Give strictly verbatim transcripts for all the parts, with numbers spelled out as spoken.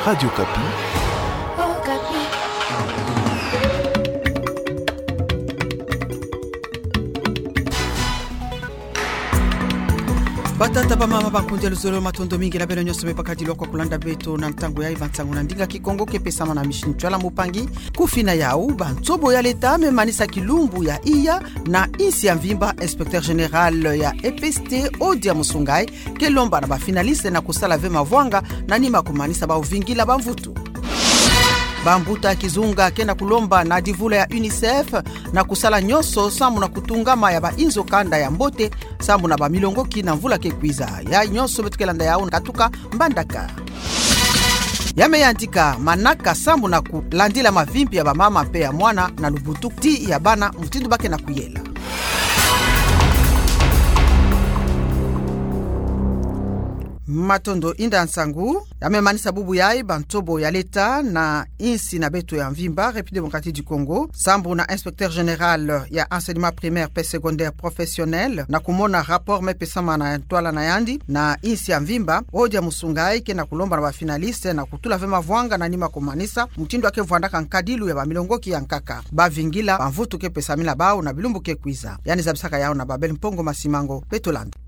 Radio Okapi. Batata, bamama, bankundi ya luzolo, matondo mingi na beno nyonso me bakadilu kwa kulanda beto na ntangu yayi ba nsangu na ndinga Kikongo ke pesama na Michel Ntsoila Moupangi. Ku fina yawu, ba nsobo ya leta me manisa kilumbu ya iya na insi ya mvimba, inspecteur général ya E P S T Odia Musungai ke lomba na ba finaliste na kusala ve mavwanga na nima kumanisa bau vingila ba mvutu. Bambuta ya kizunga ke na kulomba na divula ya UNICEF na kusala nyonso sambu na kutungama ya ba inzo kanda ya mbote, sambu na ba milongoki na mvula ke kwiza. Ya nyonso beto ke landa yawu katuka mbandaka. Ya me yandika manaka sambu na kulandila mavimpi ya bamama mpe ya mwana na lubutuku ti ya bana, mutindu ba ke na kuyela. Matondo, inda nsangu. Ya me manisa bubu yayi ba nsobo ya leta na insi na beto ya mvimba, République démocratique du Congo, sambu na inspecteur général ya enseignement primaire mpe secondaire professionnel, na kumona rapport me pesama na ntwala na yandi na insi ya mvimba, Odia Musungai ke na kulomba na ba finaliste na kutula ve mavwanga na nima kumanisa mutindu ya ke vwandaka nkadilu ya ba milongoki ya nkaka, ba vingila ba mvutu ke pesamina bau na bilumbu ke kwiza. Yandi zabisaka yawu na Babel Mpongo Masimango, beto landa.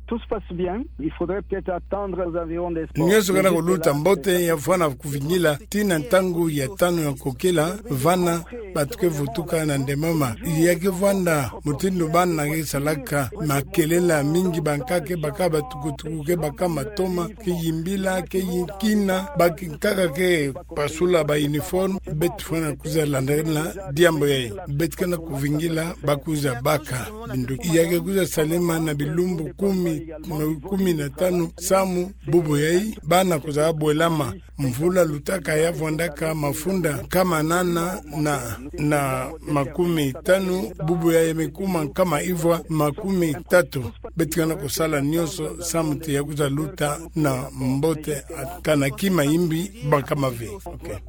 Tout se passe bien. Il faudrait peut-être attendre aux environs des sports. Nyonso ke na kuluta mbote, ya fwana kuvingila tii na ntangu ya tanu ya nkokila, vana bato ke vutuka na ndemama. Ya ke vwanda mutindu bana ke salaka makelele mingi, bankaka ke baka batukutuku, ke baka matoma, ke yimbila, ke yi-, kina, bankaka ke pasula ba uniforme, beto fwana kwiza landela diambu yayi. Beto ke na kuvingila ba kwiza baka binduki. Ya ke kwiza salama na bilumbu kumi, kumi na tanu samu bubu yayi, bana kwiza bwelama. Mvula lutaka ya vwandaka mafunda nkama nana na, na makumi tanu, bubu yayi me kuma nkama ivwa makumi tatu. Beto ke na kusala nyonso samu ti ya kwiza luta na mbote, kana kima imbi, bankama ve. Ok.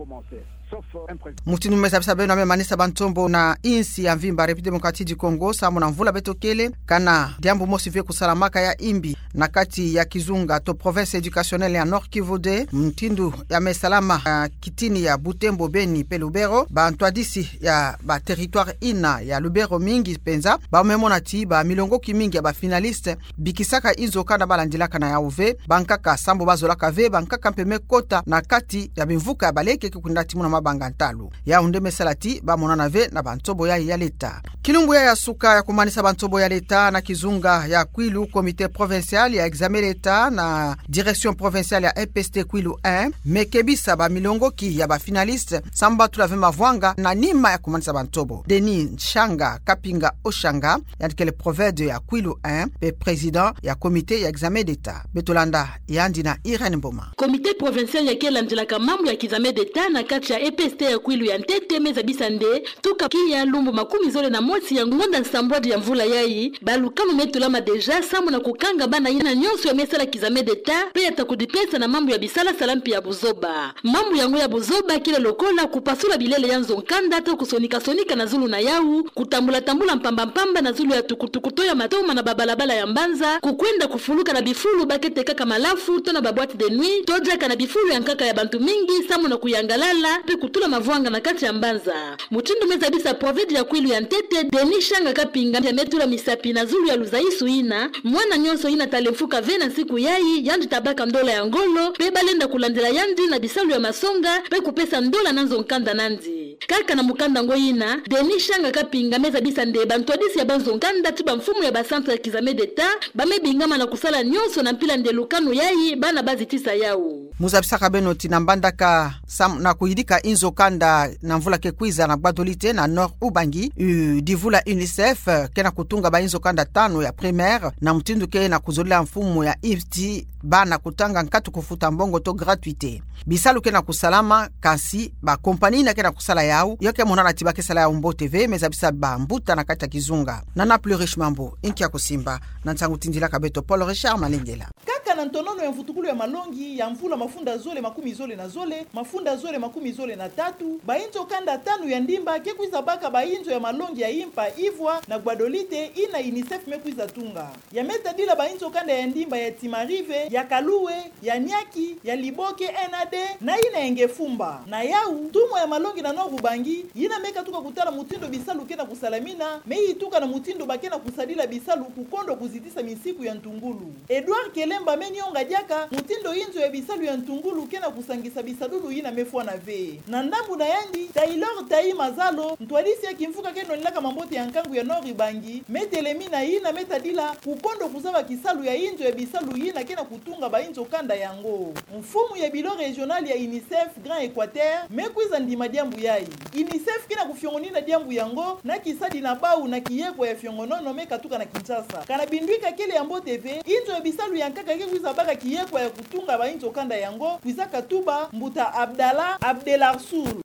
Mutindu me zabisa beno, ya me manisa ba nsobo na insi ya mvimba République démocratique du Congo, samu na mvula beto kele, kana diambu mosi ve kusalamaka ya imbi na kati ya kizunga to province éducationnelle ya Nord-Kivu deux, mutindu ya me salama, ah, kitini ya Butembo, Beni mpe Lubero, ba ntwadisi ya ba territoire ina ya Lubero mingi mpenza, ba me mona ti ba milongoki mingi ya ba finaliste bikisaka inzo kanda ba landilaka na yawu ve, bankaka sambu ba zolaka ve bankaka mpe me kota na kati ya bimvuka ya baleke ke kwenda ti muna mabanga ntalu. Yawu nde me sala ti ba monana ve na ba nsobo yayi ya leta. Kilumbu yayi ya suka ya kumanisa ba nsobo ya leta na kizunga ya Kwilu, comité provincial ya examen d'État na direction provinciale ya E P S T Kwilu un me kebisa ba milongoki ya ba finaliste sambu ba tula ve mavwanga na nima ya kumanisa ba nsobo. Denis Nshanga Kapinga Oshanga, yandi kele provede ya Kwilu un mpe président ya comité ya examen d'État. Beto landa yandi na Irène Mboma. Comité provincial ya ke landilaka mambu ya kizame d'État na kati ya E P S T ya Kwilu ya ntete me zabisa nde tuka kia lumbu makumi zole na mosi ya ngonda nsambwadi ya mvula yayi, ba lukanu me tulama déjà samu na kukanga bana ina nyonso ya me sala kizame d'État mpe ya ta kudipesa na mambu ya bisalasala mpe ya buzoba. Mambu yango ya buzoba kele lokola kupasula bilele ya nzo-nkanda to kusonika-sonika na zulu na yawu, kutambula-tambula mpamba-mpamba na zulu ya tukutuku to ya matoma na babalabala ya mbanza, kukwenda kufuluka na bifulu ba ke tekaka malafu to na ba boîtes de nuit, to diaka na bifulu ya nkaka ya bantu mingi samu na kuyangalala mpe kutula mavwanga na kati ya mbanza. Mutindu me zabisa provede ya Kwilu ya ntete, Denis Nshanga Kapinga, ya me tula misapi na zulu ya luzaisu ina, mwana nyonso ina ta lemfuka ve na nsiku yayi, yandi ta baka ndola ya ngolo, mpe ba lenda kulandila yandi na bisalu ya masonga, mpe kupesa ndola na nzo-nkanda nandi. Kaka na mukanda ngo ina, Denis Nshanga Kapinga me zabisa nde ba ntwadisi ya ba nzo-nkanda ti ba mfumu ya ba centre ya kizame d'État, ba me bingama na kusala nyonso na mpila nde lukanu yayi, bana ba zitisa yawu. Mu zabisaka beno ti na mbandaka samu na kuyidika inzo-kanda na mvula ke kwiza na Gbadolite na Nord Ubangi, u, divula UNICEF ke na kutunga ba inzo-kanda tanu ya primaire, na mutindu ke na kuzolila mfumu ya insi bana kutanga nkatu kufuta mbongo to gratuité. Bisalu ke na kusalama, kansi ba compagnie ina ke na kusala yawu, yo ke monana ti ba ke sala yawu mbote ve, me zabisa ba mbuta na kati ya kizunga. Nana Plurish Mambu, inki ya kusimba, na nsangu tindilaka beto Paul Richard Malengela. Kaka na ntonono ya mvutukulu ya malongi ya mvula mafu- mafunda zole makumi zole na zole, mafunda zole makumi zole na tatu, bainzo kanda tanu ya ndimba ke kwiza baka bainzo ya malongi ya impa ivwa na gbadolite ina UNICEF me kwiza tunga. Ya me tadila bainzo kanda ya ndimba ya Timarive, ya Kaloué, ya Niaki, ya Liboke, N A D, na ina ya Ngefumba. Na yau, ntumwa ya malongi na Nord Ubangi, ina me katuka kutala mutindo bisalu ke na kusalamina, me ituka na mutindo ba ke na kusadila bisalu ku kondo kuzitisa misiku ya ntungulu. Edouard Kelemba me nionga diaka mutindo inzo ya bisalu ya ntungulu ke na kusangisa bisadulu ina me fwana ve. Na ndambu na yandi, Taylor Tayi Mazalo, ntwadisi ya kimvuka ke nonelaka mambote ya nkangu ya Nord Ubangi, me telemina ina me tadila ku kondo kuzaba kisalu ya inzo ya bisalu ina ke na kutunga bainzo kanda yango. Mfumu ya bureau régional ya UNICEF Grand Équateur me kwiza ndima diambu yai. UNICEF ke na kufiongonina diambu yango na kisadi na bau na kiyekwa ya fiongonono me katuka na Kinshasa. Kana binduika kele ya mbote ve, inzo ya bisalu ya nkaka ke kwiza baka kiyekwa ya kutunga bainzo kanda yango, kwiza katuba mbuta Abdallah Abdelarsoul.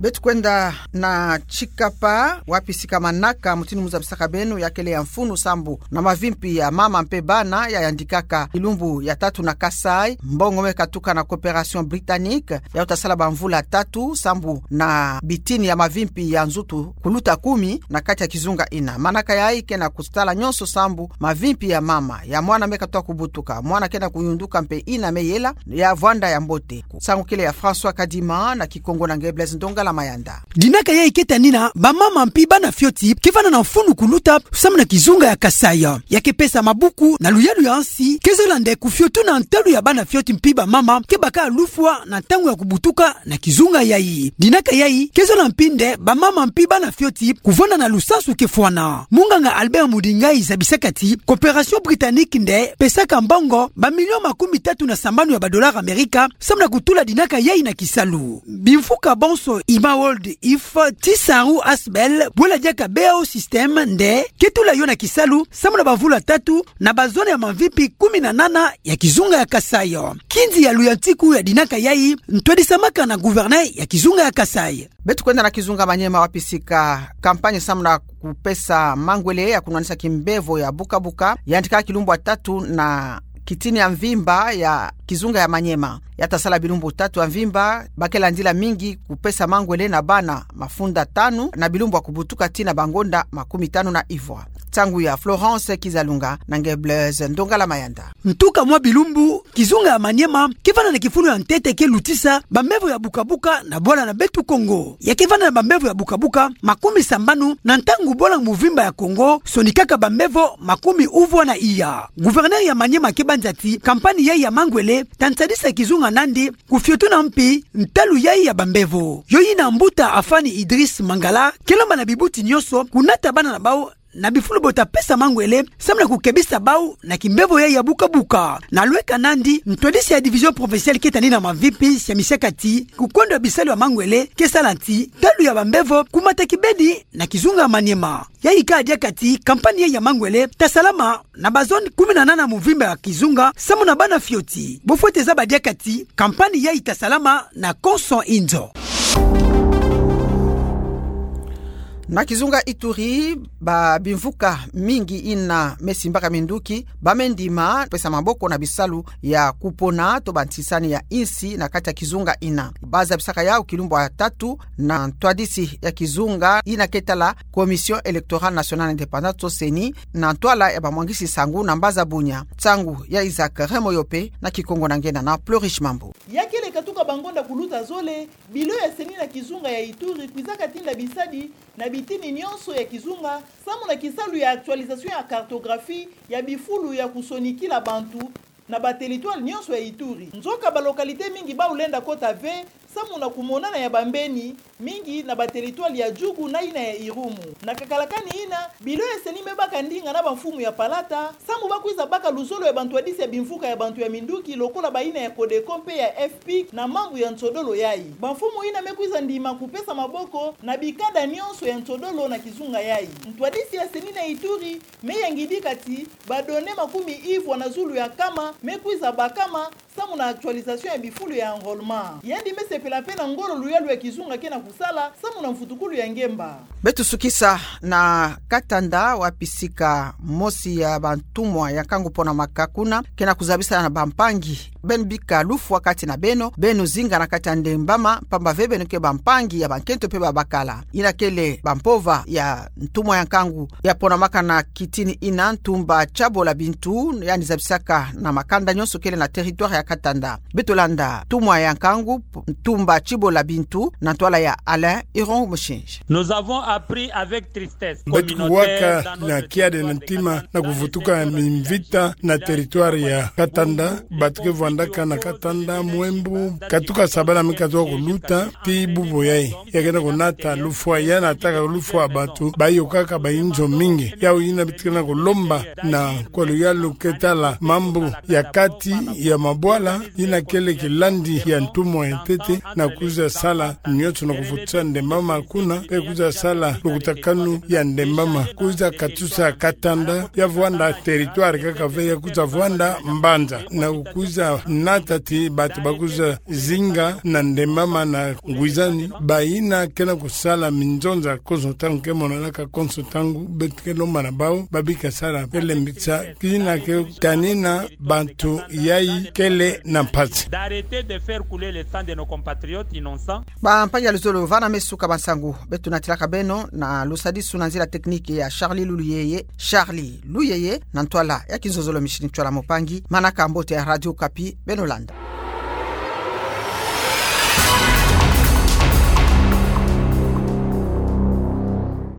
Beto kwenda na Tshikapa, wapi sika manaka mutindu muzabisaka beno ya kele ya mfunu sambu na mavimpi ya mama mpe bana ya yandikaka kilumbu ya tatu na Kasaï, mbongo me katuka na Coopération Britannique, ya uta sala bamvula tatu sambu na bitini ya mavimpi ya nzutu kuluta kumi na kati ya kizunga ina. Manaka yai ke na kutala nyonso sambu mavimpi ya mama, ya mwana me katuka kubutuka, mwana ke na kuyunduka mpe ina me yela, ya vwanda ya mbote. Nsangu kele ya François Kadima, na Kikongo na nge Blaise Ndongala Mayanda. Dinaka yai ke tanina bamama mpi bana fioti ke vanda na mfunu kuluta samu na kizunga ya Kasaï. Ya ke pesa mabuku na luyalu ya nsi, ke zola nde kufiotuna ntalu ya bana fioti mpi bamama ke baka lufwa na ntangu ya kubutuka na kizunga yai. Dinaka yai ke zola mpi nde bamama mpi bana fioti kuvanda na lusansu ke fwana. Munganga Albert Mudingai zabisaka ti Coopération Britannique nde pesaka mbongo bamilio makumi tatu na sambanu ya badollars Amerika samu na kutula dinaka yai na kisalu. Bimfuka bonso Imma World If, Tissarout Asbl, bwela diaka B A O System nde ke tula yo na kisalu samu na bamvula tatu na bazone ya mavimpi kumi na nana ya kizunga ya Kasaï. Kinzi ya luyantiku ya dinaka yai ntwadisamaka na gouverneur ya kizunga ya Kasaï. Beto kwenda na kizunga Maniema, wapi sika campagne samu na kupesa mangwele ya kunwanisa kimbevo ya bukabuka yandika kilumbu ya tatu na kitini ya mvimba ya kizunga ya Maniema. Ya ta sala bilumbu tatu ya mvimba, ba ke landila mingi kupesa mangwele na bana mafunda tanu na bilumbu ya kubutuka tii na bangonda makumi tanu na ivwa. Nsangu ya Florence Kizalunga na nge Blaise Ndongala Mayanda. Ntuka mwa bilumbu, kizunga ya Maniema ke vanda na kifulu ya ntete ke lutisa bambevo ya bukabuka na bwala na beto Kongo. Ya ke vanda na bambevo ya bukabuka makumi sambanu na ntangu bwala muvimba ya Kongo sonikaka bambevo makumi uvwa na iya. Gouverneur ya Maniema ke banza ti campagne yai ya mangwele ta nsadisa kizunga nandi kufiotuna mpi ntalu yai ya bambevo. Yo yina mbuta Afani Idriss Mangala ke lomba na bibuti nyonso kunata bana na bau na bifulu bo ta pesa mangwele samu na kukebisa bau na kimbevo yai ya bukabuka. Na lweka nandi, ntwadisi ya division provinciale ke tani na mavimpi siamisaka ti kukwenda bisalu ya mangwele ke sala ti ntalu ya bambevo kumata kibeni na kizunga Maniema. Yai ka diaka ti campagne yai ya mangwele ta salama na bazone kumi na nana muvimba ya kizunga samu na bana fioti. Bo fwete zaba diaka ti campagne yai ta salama na konso inzo. Na kizunga Ituri, ba bimvuka mingi ina me simbaka minduki ba me ndima pesa maboko na bisalu ya kupona to bantisani ya insi na kati ya kizunga ina. Ba zabisaka yau kilumbu ya tatu na ntwadisi ya kizunga ina ke tala Commission Électorale Nationale Indépendante to CENI, na ntwala ya bamwangisi nsangu na mbaza Bunia. Nsangu ya Isaac Remoyope na Kikongo na nge Nana Plurish Mambu. Ya kele katuka bangonda kuluta zole, bilo ya CENI na kizunga ya Ituri kwizaka tinda bisadi na bitini nyonso ya kizunga, samu na kisalu ya actualisation ya cartographie ya bifulu ya kusonikila bantu na ba territoire nyonso ya Ituri. Nzoka ba localité mingi bau lenda kota ve, samu na kumonana ya bambeni mingi na ba territoire ya Djugu na ina ya Irumu. Na kakalakani ina, bilo ya CENI me baka ndinga na bamfumu ya palata, samu ba kwiza baka luzolo ya bantwadisi ya bimvuka ya bantu ya minduki lokola ba ina ya CODECO mpe ya FPIC na mambu ya nsodolo yai. Bamfumu ina me kwiza ndima kupesa maboko na bikanda nyonso ya nsodolo na kizunga yai. Ntwadisi ya CENI na Ituri me yangidika ti ba données makumi ivwa na zulu ya nkama me kwiza bakama samu na actualisation ya bifulu ya enrôlement. Yandi me sepela mpe na ngolo luyalu ya kizunga ke na Sala samu na mfutukulu ya ngemba. Beto sukisa na Katanda, wapi sika mosi ya bantumwa ya nkangu ponamaka kuna, kena kuzabisa na bampangi beno bika lufwa kati na beno, beno zinga na kati ya ndembama, mpamba ve beno ke bampangi ya bankento mpe babakala. Ina kele bampova ya ntumwa ya nkangu ya ponamaka na kitini ina, Ntumba Tshabola Bintou, yandi zabisaka na makanda nyonso kele na territoire ya Katanda. Beto landa ntumwa ya nkangu, Ntumba Tshibola Bintou, na ntwala ya Alain Iron Mushinji. Nous avons appris avec tristesse. Beto kuwaka na kiade na ntima na kuvutuka mimvita na territoire ya Katanda, bato ke vwandaka na Katanda, Mouembou, katuka sabala mi katuka kuluta, tii bubu yayi. Ya kena kunata lufwa, ya nataka lufwa bantu, bayo kaka bayinzo mingi. Yawu yina beto kena kulomba na kolo yalu ke tala mambu ya kati ya mabwala, yina kele kilandi ya ntumwa ya ntete, na kwiza sala nyonso na kuvutisa ndembama kuna, mpe kwiza sala lukutakanu ya ndembama, kwiza katusa Katanda ya vwanda territoire kaka ve, ya kwiza vwanda mbanza, na kwiza nata ti bato bakwiza zinga na ndembama na ngwizani, bayina kena kusala minzonza konso ntangu, ke monanaka konso ntangu. Beto ke lomba na bawu babika sala pelembisa, kina ke kanina bantu yayi kele na mpasi. D'arrêter de faire couler le sang de nos compatriotes innocents. Bampangi ya luzolo, vana me suka bansangu. Beto natilaka beno na lusadisu na nzila technique ya Charlie Luluyeye, Charlie Luyeye, na ntwala ya kinzonzolo Micheline Tshola Mpangi, manaka mbote ya Radio Okapi, beno landa.